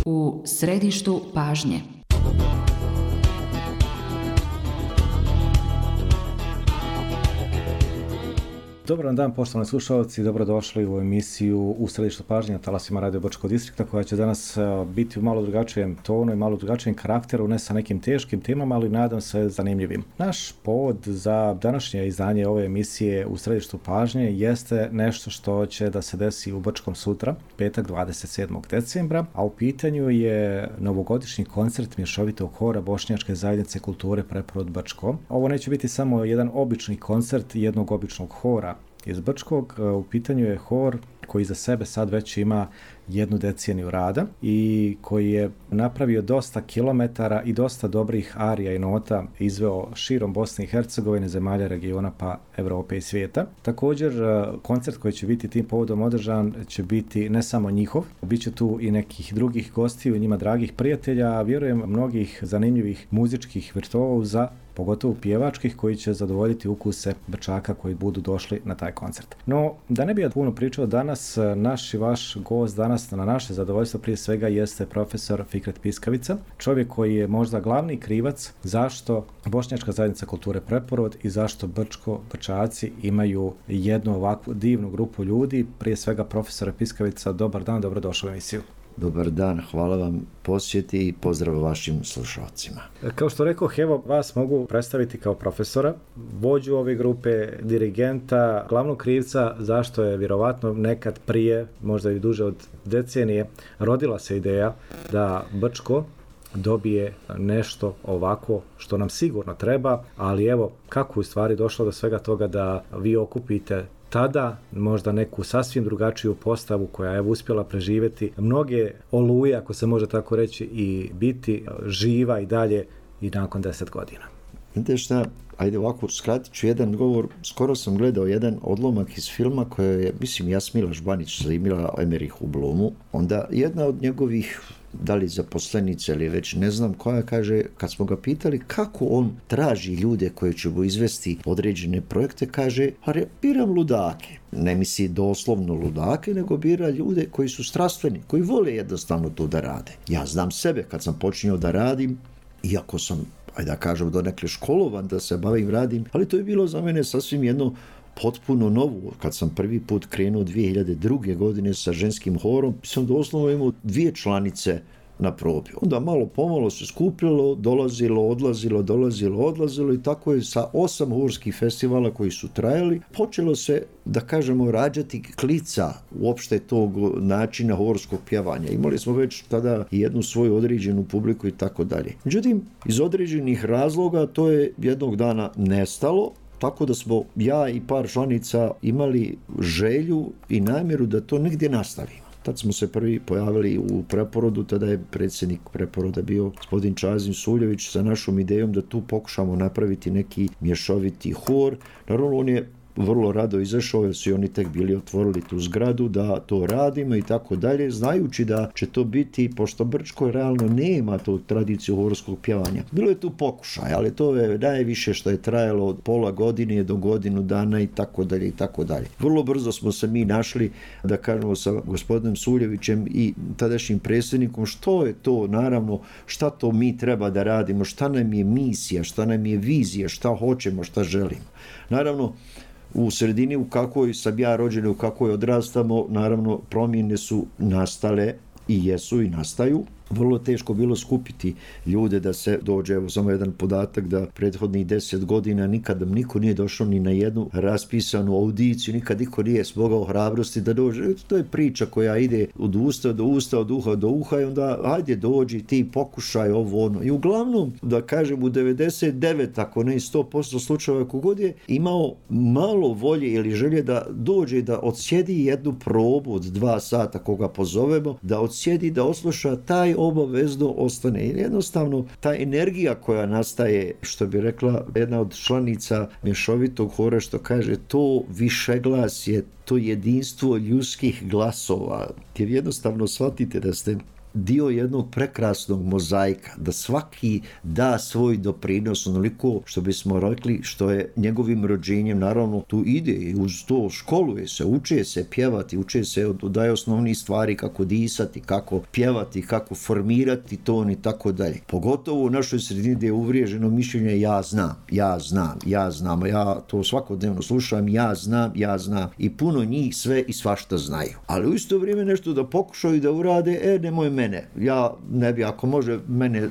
U središtu pažnje. Dobar dan, poštovani slušalci, dobrodošli u emisiju U središtu pažnje na talasima Radio Brčkog distrikta, koja će danas biti u malo drugačijem tonu i malo drugačijem karakteru, ne sa nekim teškim temama, ali nadam se zanimljivim. Naš povod za današnje izdanje ove emisije U središtu pažnje jeste nešto što će da se desi u Brčkom sutra, petak 27. decembra, a u pitanju je novogodišnji koncert mješovitog hora Bošnjačke zajednice kulture Preporod Brčko. Ovo neće biti samo jedan obični koncert jednog običnog hora iz Brčkog. U pitanju je hor koji za sebe sad već ima 1 deceniju rada i koji je napravio dosta kilometara i dosta dobrih arija i nota izveo širom Bosne i Hercegovine, zemalja regiona pa Evrope i svijeta. Također, koncert koji će biti tim povodom održan će biti ne samo njihov, bit će tu i nekih drugih gostiju i njima dragih prijatelja, a vjerujem mnogih zanimljivih muzičkih virtuoza, pogotovo pjevačkih, koji će zadovoljiti ukuse Brčaka koji budu došli na taj koncert. No, da ne bi ja puno pričao danas, naš i vaš gost danas na naše zadovoljstvo prije svega jeste profesor Fikret Piskavica, čovjek koji je možda glavni krivac zašto Bošnjačka zajednica kulture Preporod i zašto Brčaci imaju jednu ovakvu divnu grupu ljudi. Prije svega, profesore Piskavica, dobar dan, dobrodošli u emisiju. Dobar dan, hvala vam posjeti i pozdrav vašim slušalcima. Kao što rekoh, evo vas mogu predstaviti kao profesora, vođu ove grupe, dirigenta, glavnog krivca zašto je vjerovatno nekad prije, možda i duže od decenije, rodila se ideja da Brčko dobije nešto ovako što nam sigurno treba, ali evo kako u stvari došlo do svega toga da vi okupite tada možda neku sasvim drugačiju postavu koja je uspjela preživjeti mnoge oluje, ako se može tako reći, i biti živa i dalje i nakon 10 godina. Vidite šta, ajde ovako, skratit ću jedan govor. Skoro sam gledao jedan odlomak iz filma koje je, mislim, Jasmila Žbanić snimila Emerich u Blomu. Onda jedna od njegovih, da li zaposlenice ili već ne znam koja, kaže, kad smo ga pitali kako on traži ljude koji će mu izvesti određene projekte, kaže, biram ludake. Ne misli doslovno ludake, nego bira ljude koji su strastveni, koji vole jednostavno to da rade. Ja znam sebe kad sam počinio da radim, iako sam, ajde da kažem, donekle školovan da se bavim radim, ali to je bilo za mene sasvim jedno potpuno novo. Kad sam prvi put krenuo 2002. godine sa ženskim horom, sam doslovno imao 2 članice na probi. Onda malo pomalo se skupljalo, odlazilo i tako je sa 8 horskih festivala koji su trajali, počelo se, da kažemo, rađati klica uopšte tog načina horskog pjevanja. Imali smo već tada i jednu svoju određenu publiku i tako dalje. Međutim, iz određenih razloga to je jednog dana nestalo, tako da smo ja i par članica imali želju i namjeru da to negdje nastavimo. Tad smo se prvi pojavili u Preporodu, tada je predsjednik Preporoda bio gospodin Čazim Suljević sa našom idejom da tu pokušamo napraviti neki mješoviti hor. Naravno, on je vrlo rado izašao jer su oni tek bili otvorili tu zgradu da to radimo i tako dalje, znajući da će to biti, pošto Brčko realno nema tu tradiciju horskog pjevanja. Bilo je tu pokušaj, ali to je najviše što je trajalo od pola godine do godinu dana i tako dalje i tako dalje. Vrlo brzo smo se mi našli, da kažemo, sa gospodinom Suljevićem i tadašnjim predsjednikom što je to, naravno, šta to mi treba da radimo, šta nam je misija, šta nam je vizija, šta hoćemo, šta želimo. Naravno, u sredini u kakvoj sam ja rođen, u kakvoj odrastamo, naravno promjene su nastale i jesu i nastaju. Vrlo teško bilo skupiti ljude da se dođe, evo samo jedan podatak, da prethodnih 10 godina nikada niko nije došao ni na jednu raspisanu audiciju, nikad niko nije smogao hrabrosti da dođe. To je priča koja ide od usta do usta, od uha do uha i onda ajde dođi ti, pokušaj ovo ono. I uglavnom, da kažem, u 99, ako ne 100% slučajeva kogod je imao malo volje ili želje da dođe da odsjedi jednu probu od 2 sata koga pozovemo, da odsjedi, da osluša, taj obavezno ostane. Jednostavno, ta energija koja nastaje, što bi rekla jedna od članica mješovitog hora, što kaže, to višeglasje, to jedinstvo ljudskih glasova, jer jednostavno shvatite da ste dio jednog prekrasnog mozaika, da svaki da svoj doprinos onoliko što bismo rekli što je njegovim rođenjem, naravno tu ide i uz to školuje se, uče se pjevati, uče se daje osnovnih stvari kako disati, kako pjevati, kako formirati ton i tako dalje. Pogotovo u našoj sredini gdje je uvriježeno mišljenje ja znam, ja to svakodnevno slušam, ja znam i puno njih sve i svašta znaju. Ali u isto vrijeme nešto da pokušaju da urade, nemoj mene, ja ne bi, ako može,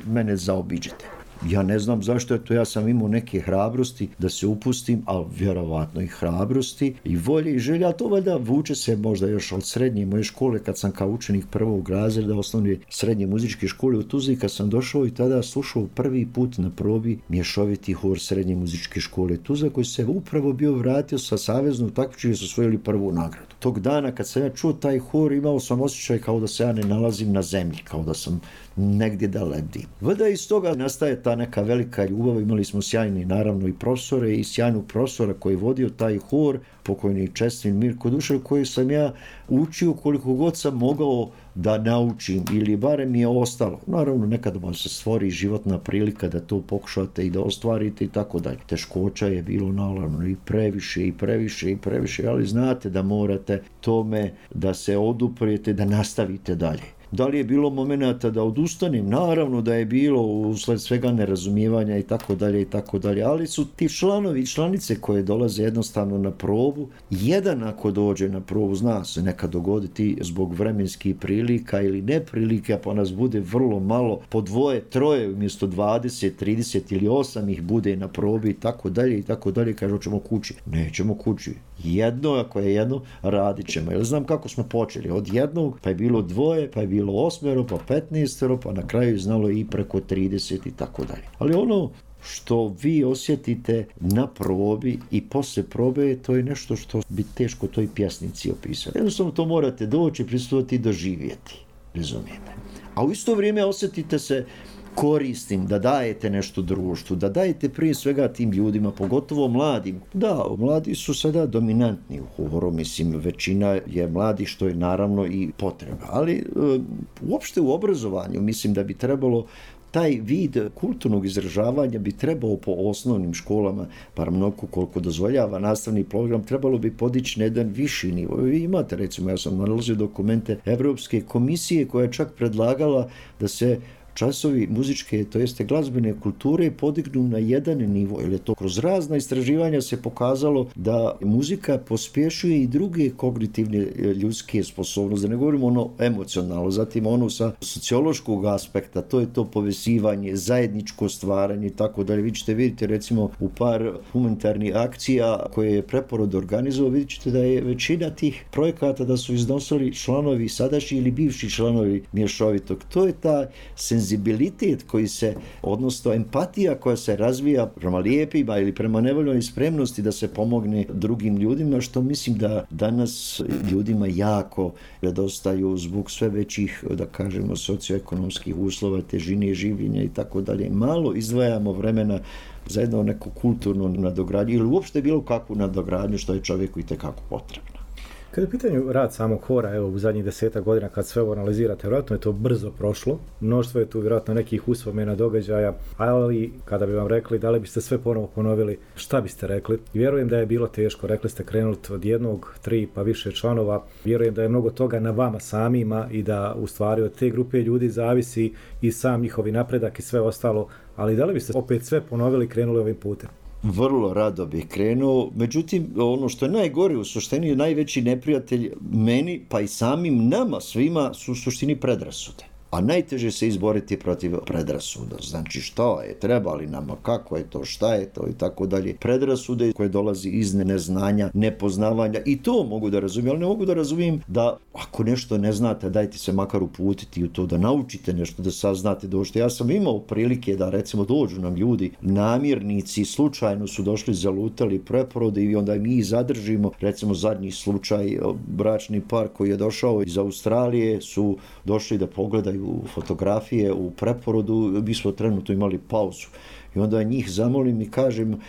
mene zaobiđete. Ja ne znam zašto je to, ja sam imao neke hrabrosti da se upustim, ali vjerovatno i hrabrosti i volje i želja, to valjda vuče se možda još od srednje moje škole, kad sam kao učenik prvog razreda osnovne srednje muzičke škole u Tuzli, kad sam došao i tada slušao prvi put na probi mješoviti hor srednje muzičke škole Tuzla, koji se upravo bio vratio sa saveznog takmičenja i su osvojili prvu nagradu. Tog dana kad sam ja čuo taj hor, imao sam osjećaj kao da se ja ne nalazim na zemlji, kao da sam negdje da lebdim. Valjda iz toga nastaje ta neka velika ljubav. Imali smo sjajni naravno i profesore i sjajnog profesora koji je vodio taj hor, pokojni čestin Mirko Dušar, koji sam ja učio koliko god sam mogao da naučim ili barem mi je ostalo. Naravno nekad vam se stvori životna prilika da to pokušate i da ostvarite i tako dalje. Teškoća je bilo naravno i previše, ali znate da morate tome da se oduprijete, da nastavite dalje. Da li je bilo momenata da odustanem? Naravno da je bilo usled svega nerazumijevanja i tako dalje, ali su ti članovi i članice koje dolaze jednostavno na probu, jedan ako dođe na probu, zna se nekad dogoditi zbog vremenskih prilika ili neprilika, pa nas bude vrlo malo, po 2, 3 umjesto 20, 30 ili 8 ih bude na probi i tako dalje, kaže hoćemo kući. Nećemo kući. Jedno, ako je jedno, radit ćemo. Jer znam kako smo počeli. Od jednog, pa je bilo 2, pa je bilo 8, pa 15, pa na kraju znalo i preko 30 i tako dalje. Ali ono što vi osjetite na probi i posle probe, to je nešto što bi teško toj pjesnici opisati. Jednostavno to morate doći, pristupiti i doživjeti. Razumijete? A u isto vrijeme osjetite se koristim, da dajete nešto društvu, da dajete prije svega tim ljudima, pogotovo mladim. Da, mladi su sada dominantni u horu, mislim, većina je mladi, što je naravno i potreba. Ali uopšte u obrazovanju mislim da bi trebalo taj vid kulturnog izražavanja bi trebao po osnovnim školama, bar mnogo koliko dozvoljava nastavni program, trebalo bi podići na jedan viši nivo. Vi imate, recimo, ja sam nalazio dokumente Evropske komisije koja je čak predlagala da se časovi muzičke, to jeste glazbene kulture, podignu na jedan nivo, jer je to kroz razna istraživanja se pokazalo da muzika pospješuje i druge kognitivne ljudske sposobnosti, da ne govorimo ono emocionalno, zatim ono sa sociološkog aspekta, to je to povezivanje, zajedničko stvaranje i tako dalje. Vi ćete vidjeti recimo u par humanitarnih akcija koje je Preporod organizovao, vidjet ćete da je većina tih projekata da su iznosili članovi sadašnji ili bivši članovi mješovitog. To je ta senzibilitet koji se, odnosno empatija koja se razvija prema lijepima ili prema nevoljnoj spremnosti da se pomogne drugim ljudima, što mislim da danas ljudima jako nedostaju zbog sve većih, da kažemo, socioekonomskih uslova, težine življenja i tako dalje. Malo izdvajamo vremena za jedno neko kulturno nadogradnju ili uopšte bilo kakvu nadogradnju što je čovjeku itekako potrebno. Kada je u pitanju rad samog hora, evo u zadnjih 10 godina kad sve ovo analizirate, vjerojatno je to brzo prošlo, mnoštvo je tu vjerojatno nekih uspomena, događaja, ali kada bi vam rekli da li biste sve ponovo ponovili, šta biste rekli? Vjerujem da je bilo teško, rekli ste krenuli od 1, 3 pa više članova, vjerujem da je mnogo toga na vama samima i da u stvari od te grupe ljudi zavisi i sam njihovi napredak i sve ostalo, ali da li biste opet sve ponovili i krenuli ovim putem? Vrlo rado bih krenuo, međutim ono što je najgore u suštini, najveći neprijatelj meni pa i samim nama svima su u suštini predrasude. A najteže se izboriti protiv predrasuda. Znači šta je, treba li nama, kako je to, šta je to i tako dalje. Predrasude koje dolazi iz neznanja, nepoznavanja i to mogu da razumijem, ali ne mogu da razumijem da ako nešto ne znate, dajte se makar uputiti u to, da naučite nešto, da saznate došto. Ja sam imao prilike da recimo dođu nam ljudi, namjernici, slučajno su došli, zalutali Preporode i onda mi zadržimo, recimo zadnji slučaj, bračni par koji je došao iz Australije su došli da pogledaju fotografije u Preporodu, mi smo trenutno imali pauzu. I onda njih zamolim i kažem,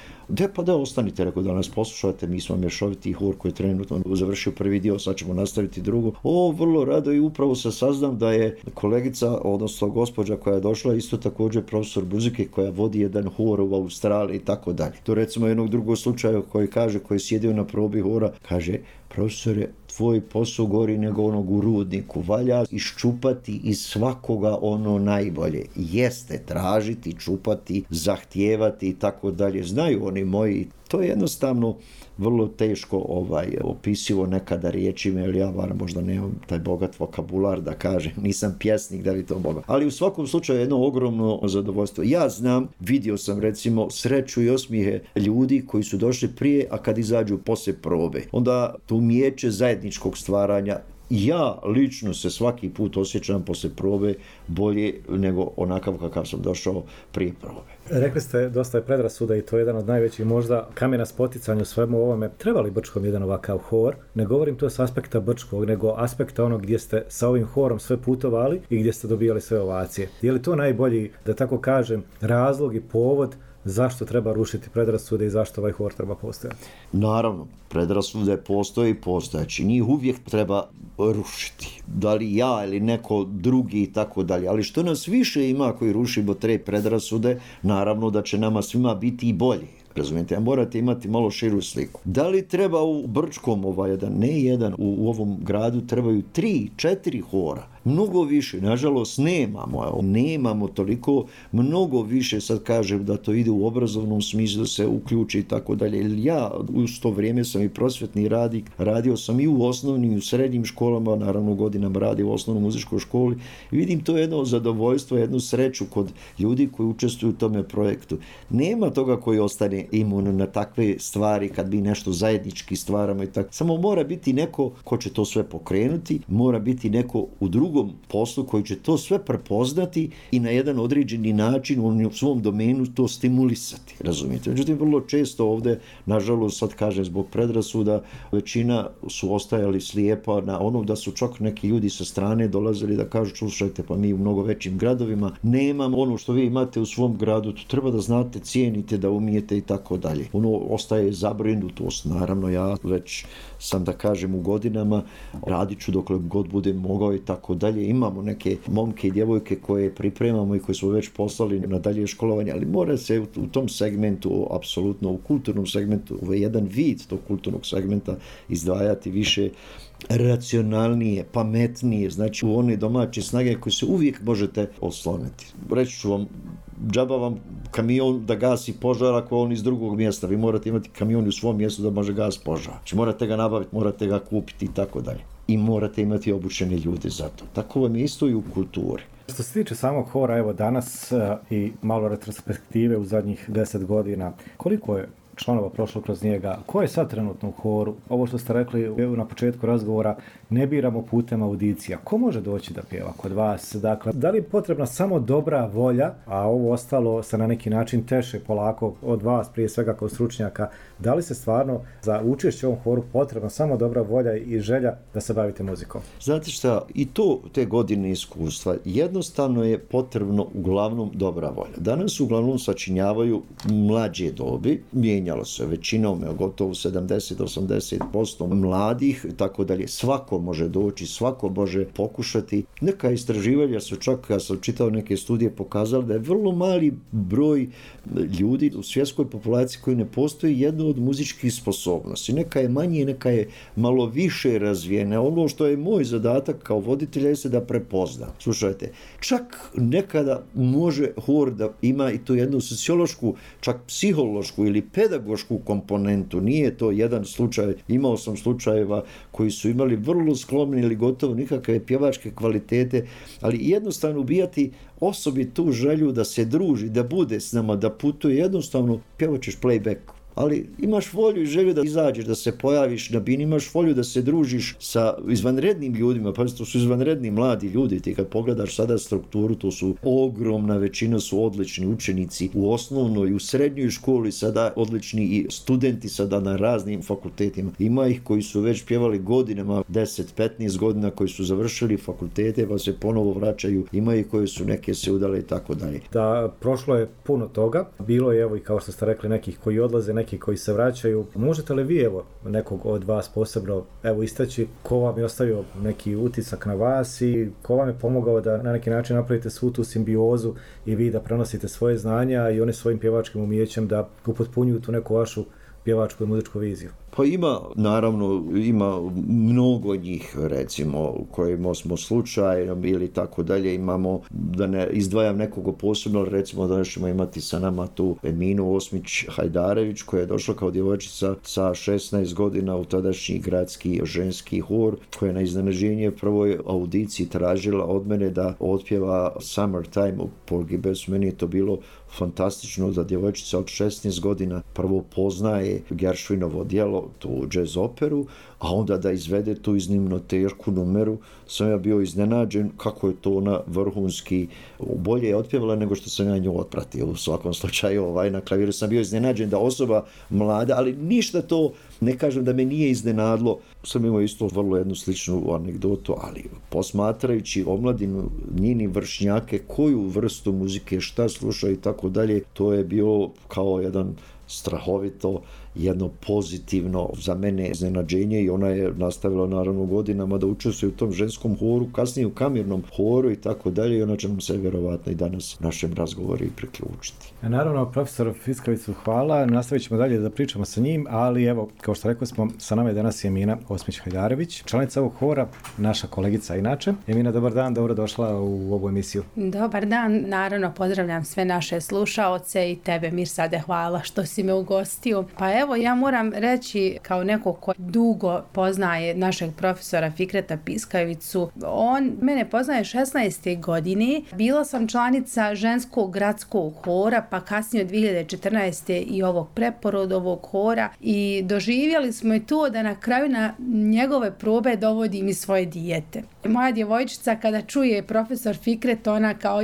Pa da ostanite, rekao, da nas poslušate, mi smo mješoviti hor koji je trenutno završio prvi dio, sad ćemo nastaviti drugo. Vrlo rado, i upravo se saznam da je kolegica, odnosno gospođa koja je došla, isto također profesor muzike koja vodi jedan hor u Australiji i tako dalje. To recimo jednog drugog slučaja koji je sjedio na probi hora, kaže: profesore, tvoj posao gori nego onog u rudniku, valja iščupati iz svakoga ono najbolje. Jeste, tražiti, čupati, zahtijevati i tako dalje. Znaju oni moji, to je jednostavno vrlo teško opisivo nekada riječima, jer ja možda nemam taj bogat vokabular da kažem, nisam pjesnik da bi to mogao. Ali u svakom slučaju jedno ogromno zadovoljstvo. Ja znam, vidio sam recimo sreću i osmijehe ljudi koji su došli prije, a kad izađu poslije probe, onda to umijeće zajedničkog stvaranja. Ja lično se svaki put osjećam poslije probe bolje nego onakav kakav sam došao prije probe. Rekli ste, dosta je predrasuda i to je jedan od najvećih možda kamena spoticanja u svemu ovome. Treba li Brčkom jedan ovakav hor? Ne govorim to s aspekta Brčkog, nego aspekta onog gdje ste sa ovim horom sve putovali i gdje ste dobijali sve ovacije. Je li to najbolji, da tako kažem, razlog i povod zašto treba rušiti predrasude i zašto ovaj hor treba postojati? Naravno, predrasude postoje i postojeći. Njih uvijek treba rušiti. Da li ja ili neko drugi i tako dalje. Ali što nas više ima koji rušimo te predrasude, naravno da će nama svima biti i bolje. Razumijete, a morate imati malo širu sliku. Da li treba u Brčkom u ovom gradu trebaju 3-4 hora? Mnogo više, nažalost nemamo toliko, mnogo više, sad kažem da to ide u obrazovnom smislu, da se uključi i tako dalje. Ja u to vrijeme sam i prosvjetni radnik, radio sam i u osnovnim i u srednjim školama, naravno godinama radio u osnovnoj muzičkoj školi i vidim to jedno zadovoljstvo, jednu sreću kod ljudi koji učestvuju u tome projektu. Nema toga koji ostane imun na takve stvari kad mi nešto zajednički stvaramo i tako. Samo mora biti neko ko će to sve pokrenuti, mora biti neko u drugom poslu koji će to sve prepoznati i na jedan određeni način u svom domenu to stimulisati, razumijete. Međutim, vrlo često ovdje, nažalost, sad kažem zbog predrasuda, većina su ostajali slijepa na ono da su čak neki ljudi sa strane dolazili da kažu: slušajte, pa mi u mnogo većim gradovima nemamo ono što vi imate u svom gradu, to treba da znate, cijenite, da umijete i tako dalje. Ostaje zabrinutost, naravno ja već sam, da kažem, u godinama, radit ću dokle god budem mogao i tako dalje. Imamo neke momke i djevojke koje pripremamo i koje smo već poslali na dalje školovanje, ali mora se u tom segmentu, apsolutno u kulturnom segmentu, ovaj jedan vid tog kulturnog segmenta izdvajati više racionalnije, pametnije, znači u one domaće snage koje se uvijek možete osloniti. Reći ću vam, džaba vam kamion da gasi požar ako on iz drugog mjesta. Vi morate imati kamion u svom mjestu da može gas požar. Znači morate ga nabaviti, morate ga kupiti i tako dalje. I morate imati obučene ljude za to. Tako vam je isto i u kulturi. Što se tiče samog hora, evo danas i malo retrospektive u zadnjih 10 godina, koliko je članova prošlo kroz njega? Ko je sad trenutno u horu? Ovo što ste rekli na početku razgovora, ne biramo putem audicija. Ko može doći da pjeva kod vas? Dakle, da li je potrebna samo dobra volja, a ovo ostalo se na neki način teše polako od vas, prije svega kao stručnjaka? Da li se stvarno za učešće u ovom horu potrebna samo dobra volja i želja da se bavite muzikom? Znate šta, i to te godine iskustva, jednostavno je potrebno uglavnom dobra volja. Danas uglavnom sačinjavaju mlađe dobi, mijenjalo se većinom, gotovo 70-80% mladih, tako dalje. Svako može doći, svako može pokušati. Neka istraživanja su čak, ja sam čitao neke studije, pokazali da je vrlo mali broj ljudi u svjetskoj populaciji koji ne postoji jedno od muzičkih sposobnosti. Neka je manje, neka je malo više razvijena. Ono što je moj zadatak kao voditelja je da prepoznam. Slušajte, čak nekada može hor da ima i tu jednu sociološku, čak psihološku ili pedagošku komponentu. Nije to jedan slučaj. Imao sam slučajeva koji su imali vrlo sklomne ili gotovo nikakve pjevačke kvalitete, ali jednostavno ubijati osobi tu želju da se druži, da bude s nama, da putuje, jednostavno pjevat ćeš playback ali imaš volju i želju da izađeš, da se pojaviš na bini, imaš volju da se družiš sa izvanrednim ljudima, pa to su izvanredni mladi ljudi, ti kad pogledaš sada strukturu, to su ogromna većina su odlični učenici u osnovnoj i u srednjoj školi, sada odlični i studenti sada na raznim fakultetima. Ima ih koji su već pjevali godinama, 10-15 godina, koji su završili fakultete pa se ponovo vraćaju, ima ih koji su neke se udale i tako dalje. Da, prošlo je puno toga, bilo je evo i kao što ste rekli nekih koji odlaze, neki koji se vraćaju. Možete li vi evo nekog od vas posebno evo istaći ko vam je ostavio neki utisak na vas i ko vam je pomogao da na neki način napravite svu tu simbiozu i vi da prenosite svoje znanja i oni svojim pjevačkim umijećem da upotpunjuju tu neku vašu pjevačku i muzičku viziju? Pa ima mnogo njih, recimo, kojima smo slučajno ili tako dalje, imamo, da ne izdvajam nekog posebno, recimo da ćemo imati sa nama tu Eminu Osmić-Hajdarević, koja je došla kao djevojčica sa 16 godina u tadašnji gradski ženski hor, koja je na iznenađenje prvoj audiciji tražila od mene da otpjeva Summertime u Porgy Bess. Meni je to bilo fantastično da djevojčica od 16 godina prvo poznaje Gershwinovo djelo, tu jazz operu, a onda da izvede tu iznimno tešku numeru. Sam ja bio iznenađen kako je to ona vrhunski, bolje je otpjevala nego što sam ja nju otpratio. U svakom slučaju na klaviru sam bio iznenađen da osoba mlada, ali ništa to ne kažem da me nije iznenadlo. Sam imao isto vrlo jednu sličnu anegdotu, ali posmatrajući omladinu, njini vršnjake, koju vrstu muzike, šta slušaju i tako dalje, to je bilo kao jedan strahovito, jedno pozitivno za mene iznenađenje i ona je nastavila naravno godinama da učestvuje u tom ženskom horu, kasnije u kamernom horu i tako dalje i ona će nam se vjerovatno i danas našem razgovoru i priključiti. Naravno, profesor Fickavicu hvala, nastavit ćemo dalje da pričamo sa njim, ali evo, kao što rekli smo, sa nama je danas Emina Osmić-Hajdarević, članica ovog hora, naša kolegica inače. Emina, dobar dan, dobro došla u ovu emisiju. Dobar dan, naravno pozdravljam sve naše slušaoce i tebe, Mirsade, hvala što si me ugostio. Pa evo, ja moram reći kao neko ko dugo poznaje našeg profesora Fikreta Piskavicu, on mene poznaje 16. godine. Bila sam članica ženskog gradskog hora, pa kasnije od 2014. i ovog preporodovog hora i doživjeli smo i to da na kraju na njegove probe dovodim i svoje dijete. Moja djevojčica kada čuje profesor Fikret, ona kao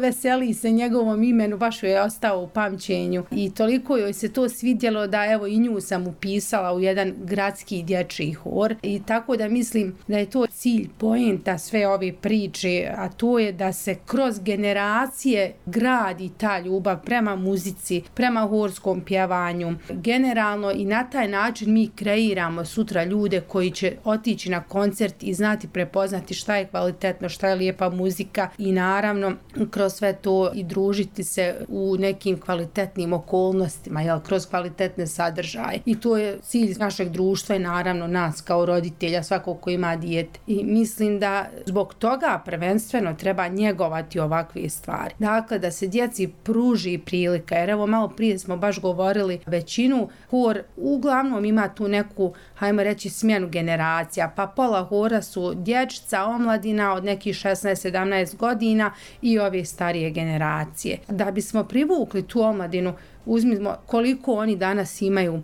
veseli se njegovom imenu, baš joj je ostao u pamćenju i toliko joj se to svidjelo da evo i nju sam upisala u jedan gradski dječji hor i tako da mislim da je to cilj, poenta sve ove priče, a to je da se kroz generacije gradi ta ljubav prema muzici, prema horskom pjevanju. Generalno i na taj način mi kreiramo sutra ljude koji će otići na koncert i znati prepoznati šta je kvalitetno, šta je lijepa muzika i naravno kroz sve to i družiti se u nekim kvalitetnim okolnostima, kroz kvalitetne sadržaje. I to je cilj našeg društva i naravno nas kao roditelja, svakog ko ima dijete. I mislim da zbog toga prvenstveno treba njegovati ovakve stvari. Dakle, da se djeci pruži prilika, jer evo malo prije smo baš govorili, većinu hor uglavnom ima tu neku, hajmo reći, smjenu generacija, pa pola hora su dječica, omladina od nekih 16-17 godina i ove starije generacije. Da bismo privukli tu omladinu, uzmimo koliko oni danas imaju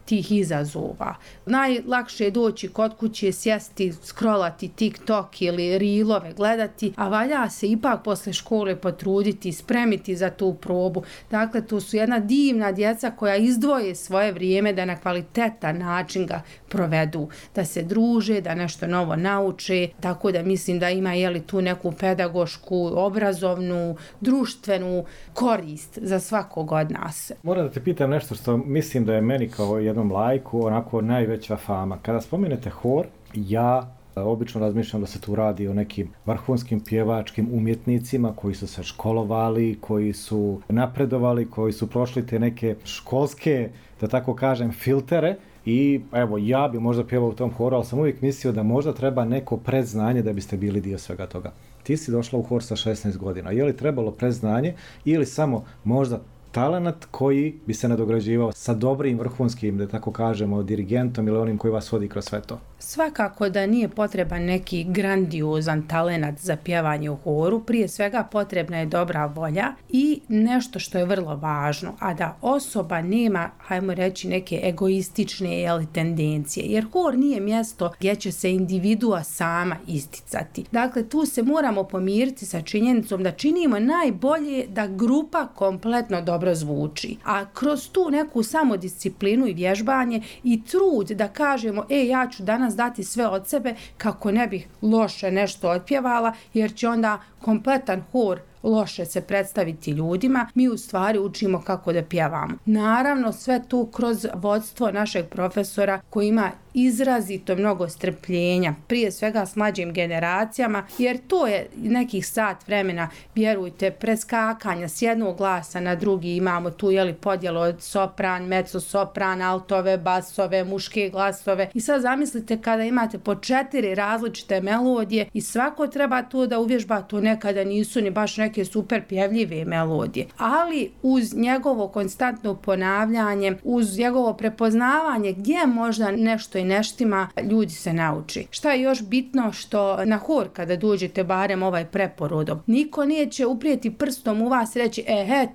tih izazova. Najlakše je doći kod kuće, sjesti, scrollati TikTok ili reelove gledati, a valja se ipak posle škole potruditi, spremiti za tu probu. Dakle, to su jedna divna djeca koja izdvoje svoje vrijeme da na kvalitetan način ga provedu, da se druže, da nešto novo nauče, tako da mislim da ima tu neku pedagošku, obrazovnu, društvenu korist za svakog od nas. Moram da te pitam nešto što mislim da je meni kao jednom laiku onako najveća fama. Kada spomenete hor, ja obično razmišljam da se tu radi o nekim vrhunskim pjevačkim umjetnicima koji su se školovali, koji su napredovali, koji su prošli te neke školske, da tako kažem, filtere. I evo, ja bi možda pjevao u tom horu, ali sam uvijek mislio da možda treba neko predznanje da biste bili dio svega toga. Ti si došla u hor sa 16 godina. Je li trebalo predznanje ili samo možda talenat koji bi se nadograđivao sa dobrim vrhunskim, da tako kažemo, dirigentom ili onim koji vas vodi kroz sve to? Svakako da nije potreban neki grandiozan talenat za pjevanje u horu, prije svega potrebna je dobra volja i nešto što je vrlo važno, a da osoba nema, hajmo reći, neke egoistične tendencije, jer hor nije mjesto gdje će se individua sama isticati. Dakle, tu se moramo pomiriti sa činjenicom da činimo najbolje da grupa kompletno dobro zvuči, a kroz tu neku samodisciplinu i vježbanje i trud da kažemo, ja ću danas dati sve od sebe kako ne bih loše nešto otpjevala, jer će onda kompletan hor loše se predstaviti ljudima, mi u stvari učimo kako da pjevamo. Naravno, sve tu kroz vodstvo našeg profesora koji ima izrazito mnogo strpljenja, prije svega s mlađim generacijama, jer to je nekih sat vremena, vjerujte, preskakanja s jednog glasa na drugi, imamo tu podjelu od sopran, mezzo-sopran, altove, basove, muške glasove i sad zamislite kada imate po 4 različite melodije i svako treba to da uvježba, to nekada nisu ni baš neke super pjevljive melodije, ali uz njegovo konstantno ponavljanje, uz njegovo prepoznavanje gdje možda nešto i neštima, ljudi se nauči. Šta je još bitno, što na hor kada dođete, barem ovaj preporodom, niko neće uprijeti prstom u vas i reći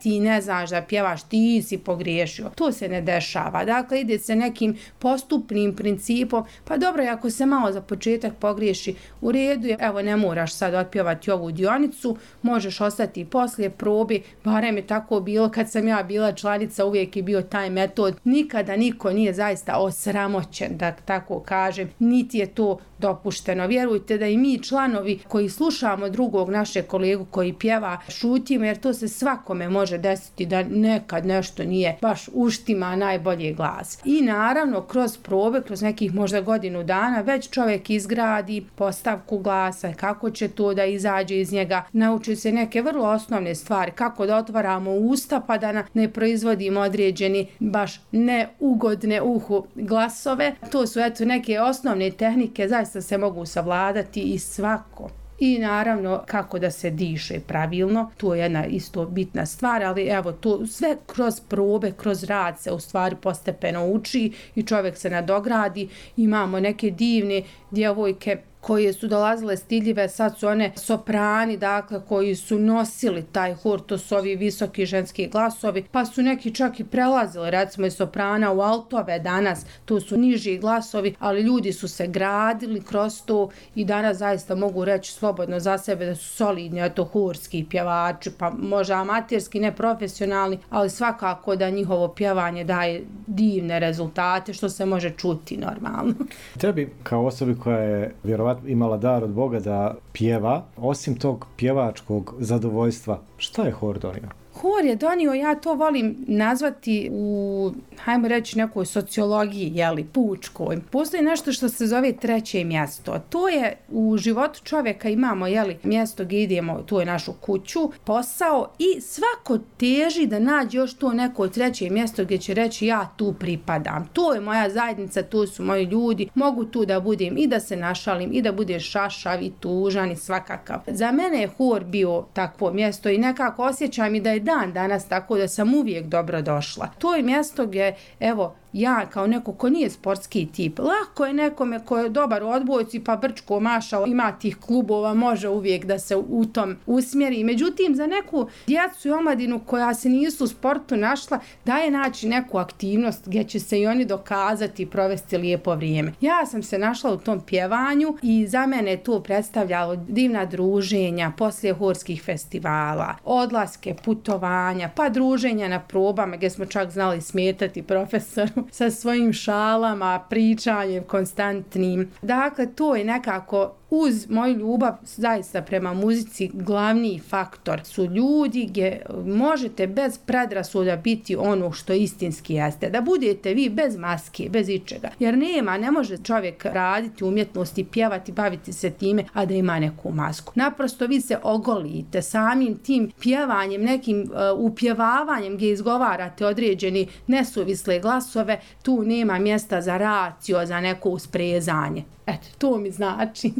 ti ne znaš da pjevaš, ti si pogriješio. To se ne dešava. Dakle, ide se nekim postupnim principom, pa dobro, ako se malo za početak pogriješi, u redu je, evo, ne moraš sad otpjevati ovu dionicu, možeš ostati i poslije probi, barem je tako bilo kad sam ja bila članica, uvijek je bio taj metod. Nikada niko nije zaista osramoćen, da tako kažem, niti je to dopušteno. Vjerujte da i mi članovi koji slušamo drugog našeg kolegu koji pjeva, šutimo, jer to se svakome može desiti da nekad nešto nije baš uštima najbolji glas. I naravno, kroz probe, kroz nekih možda godinu dana, već čovjek izgradi postavku glasa, kako će to da izađe iz njega, nauči se neke vrlo osnovne stvari, kako da otvaramo usta pa da ne proizvodimo određeni baš neugodne uhu glasove. To su neke osnovne tehnike, zaista se mogu savladati i svako. I naravno kako da se diše pravilno, to je jedna isto bitna stvar, ali evo to sve kroz probe, kroz rad se u stvari postepeno uči i čovjek se nadogradi. Imamo neke divne djevojke koje su dolazile stidljive, sad su one soprani, dakle, koji su nosili taj hor, to su ovi visoki ženski glasovi, pa su neki čak i prelazili, recimo iz soprana u altove danas, to su niži glasovi, ali ljudi su se gradili kroz to i danas zaista mogu reći slobodno za sebe da su solidni, horski pjevači, pa možda amaterski, ne profesionalni, ali svakako da njihovo pjevanje daje divne rezultate, što se može čuti normalno. Tebi, kao osobi koja je vjerovatno imala dar od Boga da pjeva, osim tog pjevačkog zadovoljstva, šta je hor donio? Hor je donio, ja to volim nazvati u, hajmo reći, nekoj sociologiji, pučkoj. Postoji nešto što se zove treće mjesto. To je u životu čovjeka, imamo, mjesto gdje idemo, to je našu kuću, posao i svako teži da nađe još to neko treće mjesto gdje će reći ja tu pripadam. To je moja zajednica, to su moji ljudi, mogu tu da budem i da se našalim i da bude šašav i tužan i svakakav. Za mene je hor bio takvo mjesto i nekako osjećam i da je dan danas tako da sam uvijek dobro došla. To je mjesto gdje, evo, ja kao neko ko nije sportski tip, lako je nekome ko je dobar u odbojci pa brčko mašao, ima tih klubova, može uvijek da se u tom usmjeri. Međutim, za neku djecu i omladinu koja se nisu u sportu našla, daje naći neku aktivnost gdje će se i oni dokazati i provesti lijepo vrijeme. Ja sam se našla u tom pjevanju i za mene je to predstavljalo divna druženja poslije horskih festivala, odlaske, putovanja, pa druženja na probama gdje smo čak znali smetati profesoru sa svojim šalama, pričanjem konstantnim. Dakle, to je nekako uz moju ljubav zaista prema muzici glavni faktor su ljudi gdje možete bez predrasuda biti ono što istinski jeste. Da budete vi bez maske, bez ičega. Jer ne može čovjek raditi umjetnosti, pjevati, baviti se time, a da ima neku masku. Naprosto vi se ogolite samim tim pjevanjem, nekim upjevavanjem gdje izgovarate određeni nesuvisle glasove, tu nema mjesta za racio, za neko usprezanje. Eto, to mi znači.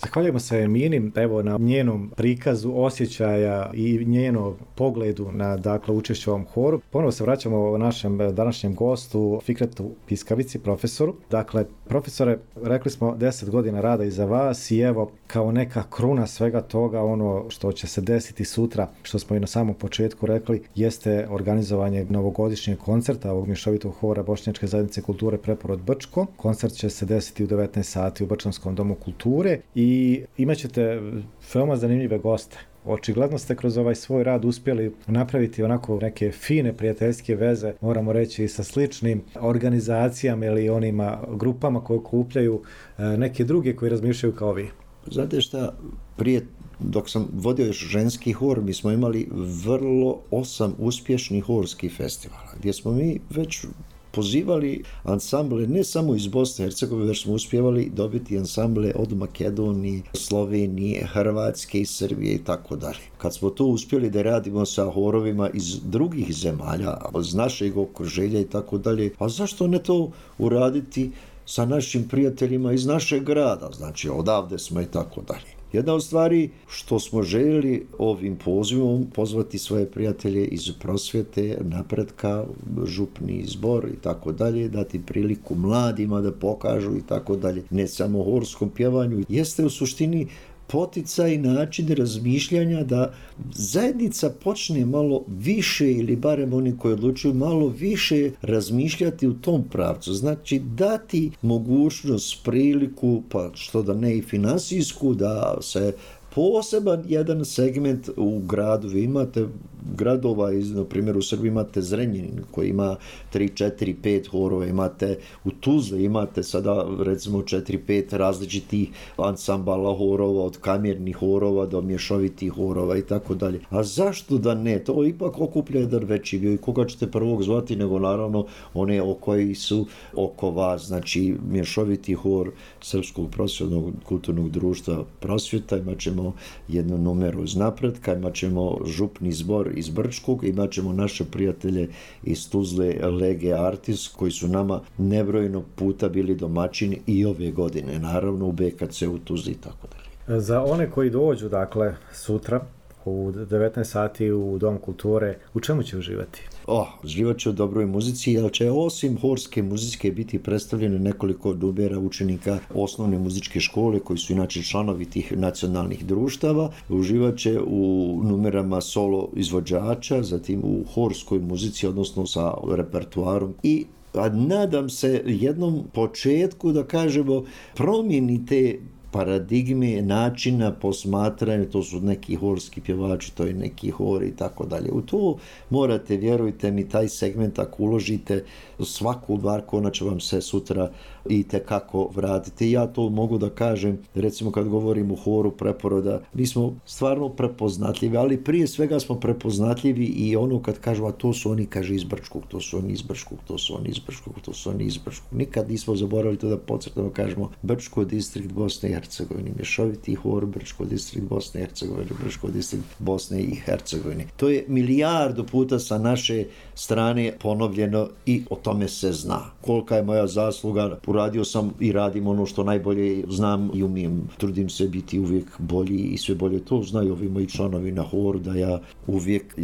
Zahvaljujemo se Emini, evo na njenom prikazu osjećaja i njenom pogledu na dakle učešće u ovom horu. Ponovo se vraćamo našem današnjem gostu Fikretu Piskavici, profesoru. Dakle, profesore, rekli smo 10 godina rada iza vas i evo kao neka kruna svega toga, ono što će se desiti sutra, što smo i na samom početku rekli, jeste organizovanje novogodišnjeg koncerta ovog mješovitog hora Bošnjačke zajednice kulture Preporod Brčko. Koncert će se desiti u 19 sati u Brčanskom domu kulture i imat ćete veoma zanimljive goste. Očigledno ste kroz ovaj svoj rad uspjeli napraviti onako neke fine prijateljske veze, moramo reći, sa sličnim organizacijama ili onima grupama koje okupljaju neke druge koji razmišljaju kao vi. Znate šta, prije dok sam vodio još ženski hor, mi smo imali vrlo 8 uspješnih horskih festivala, gdje smo mi već pozivali ansamble ne samo iz Bosne i Hercegovine, već smo uspjevali dobiti ansamble od Makedonije, Slovenije, Hrvatske i Srbije i tako dalje. Kad smo to uspjeli da radimo sa horovima iz drugih zemalja, iz našeg okruženja i tako dalje, a zašto ne to uraditi sa našim prijateljima iz našeg grada, znači odavde smo i tako dalje. Jedna od stvari što smo željeli ovim pozivom pozvati svoje prijatelje iz prosvjete, napretka, župni zbor i tako dalje, dati priliku mladima da pokažu i tako dalje, ne samo horskom pjevanju, jeste u suštini poticaj, način razmišljanja da zajednica počne malo više, ili barem oni koji odlučuju malo više razmišljati u tom pravcu. Znači dati mogućnost, priliku, pa što da ne i finansijsku, da se poseban jedan segment u gradu, vi imate gradova, na primjer u Srbiji imate Zrenjanin koji ima 3, 4, 5 horova, imate u Tuzli, imate sada recimo 4, 5 različitih ansambala horova, od kamernih horova do mješovitih horova i tako dalje. A zašto da ne? To ipak okuplja jedan veći dio i koga ćete prvog zvati, nego naravno one koji su oko vas, znači mješoviti hor Srpskog prosvjetnog kulturnog društva Prosvjeta, imat ćemo jednu numeru iz Napretka, imat ćemo župni zbor iz Brčkog, imat ćemo naše prijatelje iz Tuzle, Lege Artis, koji su nama nebrojeno puta bili domaćini i ove godine, naravno u BKC u Tuzli i tako dalje. Za one koji dođu, dakle, sutra u 19 sati u Dom kulture, u čemu će uživati? Uživat će u dobroj muzici, jer će osim horske muzike biti predstavljene nekoliko numera učenika osnovne muzičke škole, koji su inače članovi tih nacionalnih društava. Uživat će u numerama solo izvođača, zatim u horskoj muzici, odnosno sa repertuarom i nadam se jednom početku, da kažemo, promjeni te paradigme, načina posmatranja, to su neki horski pjevači, to je neki hor i tako dalje. U to morate, vjerujte mi, taj segment ako uložite svaku marku, ona će vam se sutra i tekako vratiti. Ja to mogu da kažem, recimo kad govorim o horu Preporoda, mi smo stvarno prepoznatljivi, ali prije svega smo prepoznatljivi i ono kad kažu, a to su oni, kaže, iz Brčkog, to su oni iz Brčkog, to su oni iz Brčkog, to su oni iz Brčkog. Nikad nismo zaboravili to da podcrtano kažemo Brčko distrikt Bosne i Hercegovine, mješoviti hor Brčko distrikt Bosne i Hercegovine, Brčko distrikt Bosne i Hercegovine. To je milijardu puta sa naše strane ponovljeno i o tome se zna. Kolika je moja zasluga, uradio sam i radim ono što najbolje znam i umijem. Trudim se biti uvijek bolji i sve bolje. To znaju ovi moji članovi na horu, da ja uvijek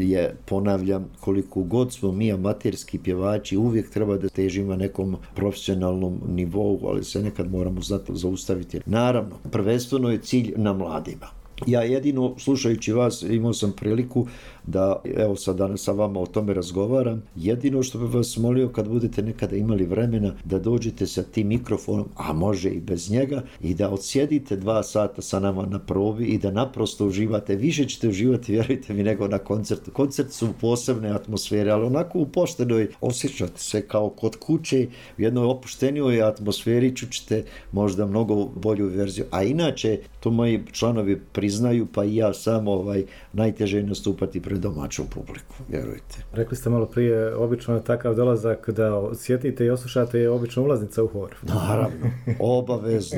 ponavljam, koliko god smo mi amaterski pjevači, uvijek treba da težimo nekom profesionalnom nivou, ali se nekad moramo znati zaustaviti. Naravno, prvenstveno je cilj na mladima. Ja jedino, slušajući vas, imao sam priliku da, evo sad danas sa vama o tome razgovaram, jedino što bih vas molio, kad budete nekada imali vremena, da dođete sa tim mikrofonom, a može i bez njega, i da odsjedite 2 sata sa nama na probi i da naprosto uživate. Više ćete uživati, vjerujte mi, nego na koncertu. Koncert su posebne atmosfere, ali onako u poštenoj, osjećate se kao kod kuće, u jednoj opuštenijoj atmosferi, čućete možda mnogo bolju verziju. A inače, to moji članovi priznaju, pa i ja sam, najteže je nastupati pred pred domaćom publiku, vjerujte. Rekli ste malo prije, obično je takav dolazak da osjetite i oslušate je obično ulaznica u hor. Naravno,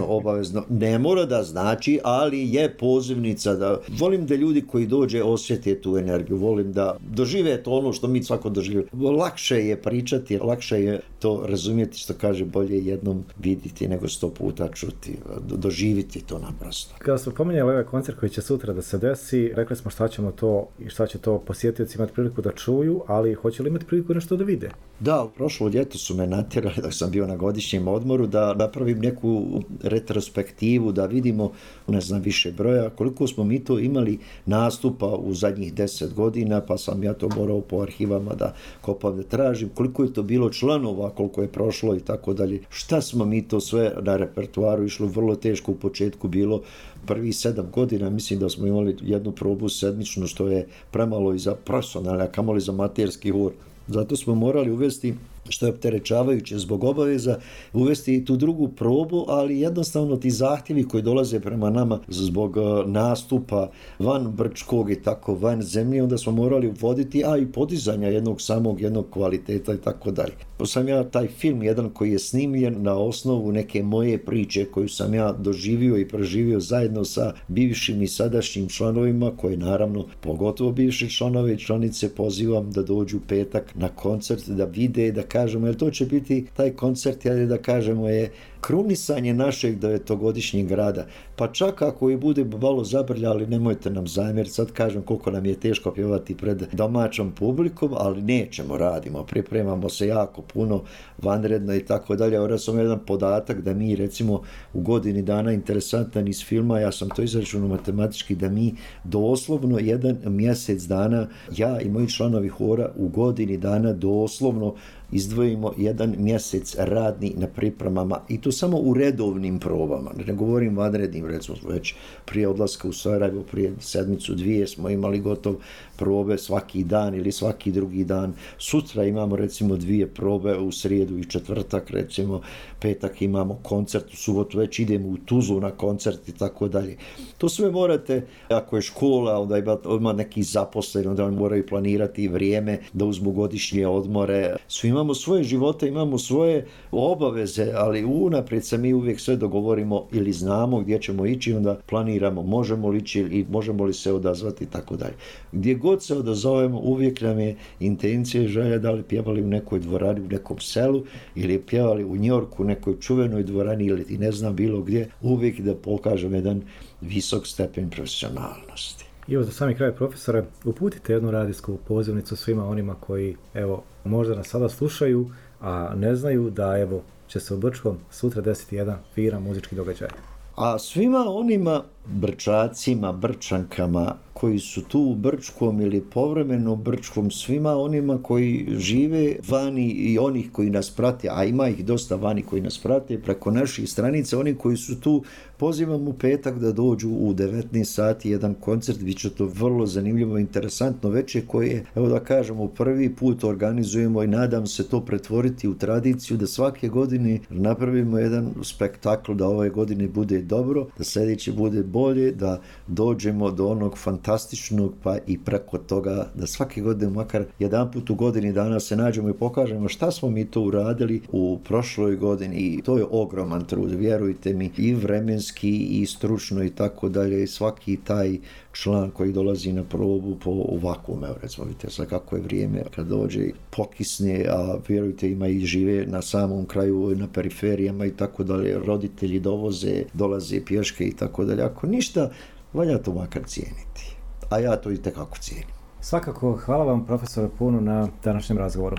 obavezno. Ne mora da znači, ali je pozivnica da... Volim da ljudi koji dođe osjete tu energiju, volim da dožive to ono što mi svako doživimo. Lakše je pričati, lakše je to razumjeti, što kaže, bolje jednom vidjeti nego 100 puta čuti, doživiti to naprosto. Kada smo pominjali ovaj koncert koji će sutra da se desi, rekli smo šta ćemo to i šta će to posjetioci imati priliku da čuju, ali hoće li imati priliku nešto da vide? Da, prošlo ljeto su me natjerali dok sam bio na godišnjem odmoru da napravim neku retrospektivu, da vidimo, ne znam više broja, koliko smo mi to imali nastupa u zadnjih 10 godina, pa sam ja to morao po arhivama da kopam, da tražim, koliko je to bilo članova, koliko je prošlo i tako dalje. Šta smo mi to sve na repertuaru išlo, vrlo teško u početku bilo, prvih 7 godina, mislim da smo imali jednu probu sedmičnu, što je premalo i za profesionalne, a kamoli za amaterski hor. Zato smo morali uvesti, što je opterećavajuće zbog obaveza, uvesti i tu drugu probu, ali jednostavno ti zahtjevi koji dolaze prema nama zbog nastupa van Brčkog i tako van zemlje, onda smo morali uvoditi, a i podizanja jednog kvaliteta i tako dalje. Pa sam ja taj film jedan koji je snimljen na osnovu neke moje priče koju sam ja doživio i proživio zajedno sa bivšim i sadašnjim članovima, koje naravno pogotovo bivše članove i članice pozivam da dođu petak na koncert, da vide, da kažemo, jer to će biti taj koncert, da kažemo, je krunisanje našeg 9-godišnjeg rada. Pa čak ako i bude malo zabrljali, nemojte nam zamjeriti, sad kažem koliko nam je teško pjevati pred domaćom publikom, ali nećemo, radimo, pripremamo se jako puno, vanredno i tako dalje. Evo sam jedan podatak da mi recimo u godini dana, interesantan iz filma, ja sam to izračunao matematički, da mi doslovno jedan mjesec dana, ja i moji članovi hora u godini dana doslovno izdvojimo jedan mjesec radni na pripremama, i to samo u redovnim probama, ne govorim vanrednim, recimo već prije odlaska u Sarajevo, prije sedmicu, dvije smo imali gotov probe svaki dan ili svaki drugi dan. Sutra imamo recimo 2 probe, u srijedu i četvrtak, recimo petak imamo koncert, u subotu već idemo u Tuzlu na koncert i tako dalje. To sve morate, ako je škola, onda ima neki zaposleni, onda moraju planirati vrijeme da uzmu godišnje odmore. Svi imamo svoje živote, imamo svoje obaveze, ali unaprijed se mi uvijek sve dogovorimo ili znamo gdje ćemo ići, onda planiramo možemo li ići i možemo li se odazvati i tako dalje. Gdje god se odazovemo, uvijek nam je intencija i želja da li pjevali u nekoj dvorani u nekom selu ili pjevali u Njorku u nekoj čuvenoj dvorani ili ti ne znam bilo gdje, uvijek da pokažem jedan visok stepen profesionalnosti. I evo za sami kraj, profesore, uputite jednu radijsku pozivnicu svima onima koji, evo, možda nas sada slušaju, a ne znaju da, evo, će se u Brčkom sutra desiti jedan firan muzički događaj. A svima onima Brčacima, Brčankama koji su tu u Brčkom ili povremeno u Brčkom, svima onima koji žive vani i onih koji nas prate, a ima ih dosta vani koji nas prate preko naših stranica, oni koji su tu, pozivam u petak da dođu u 19 sati jedan koncert, bit će to vrlo zanimljivo, interesantno večer koje, evo da kažemo, prvi put organizujemo i nadam se to pretvoriti u tradiciju da svake godine napravimo jedan spektakl, da ove godine bude dobro, da sljedeće bude bolje, da dođemo do onog fantastičnog, pa i preko toga da svake godine makar jedan put u godini dana se nađemo i pokažemo šta smo mi to uradili u prošloj godini, i to je ogroman trud, vjerujte mi, i vremenski i stručno i tako dalje, i svaki taj član koji dolazi na probu po ovakvom, evo recimo vidite sad kako je vrijeme kad dođe pokisne, a vjerujte ima i žive na samom kraju, na periferijama i tako dalje, roditelji dovoze, dolaze pješke i tako dalje, ako ništa, valja to makar cijeniti, a ja to i tekako cijenim. Svakako, hvala vam profesore puno na današnjem razgovoru.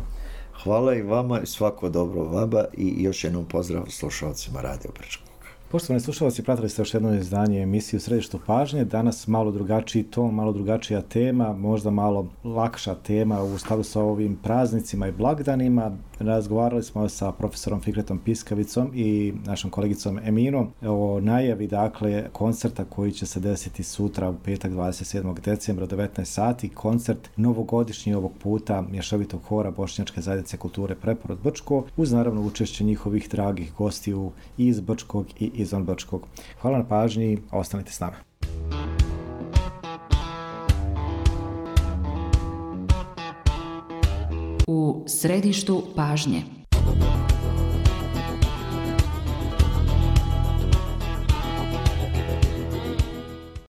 Hvala i vama i svako dobro vama i još jednom pozdrav slušalcima Radio Brčkog. Poštovani slušalci, pratili ste još jedno izdanje emisiju Središtu pažnje. Danas malo drugačiji ton, malo drugačija tema, možda malo lakša tema u skladu sa ovim praznicima i blagdanima. Razgovarali smo sa profesorom Fikretom Piskavicom i našom kolegicom Eminom o najavi, dakle, koncerta koji će se desiti sutra u petak 27. decembra u 19 sati. Koncert novogodišnji ovog puta mješovitog hora Bošnjačke zajednice kulture Preporod Brčko, uz naravno učešće njihovih dragih gostiju iz Brčkog i izvan Brčkog. Hvala na pažnji, ostanite s nama. U središtu pažnje.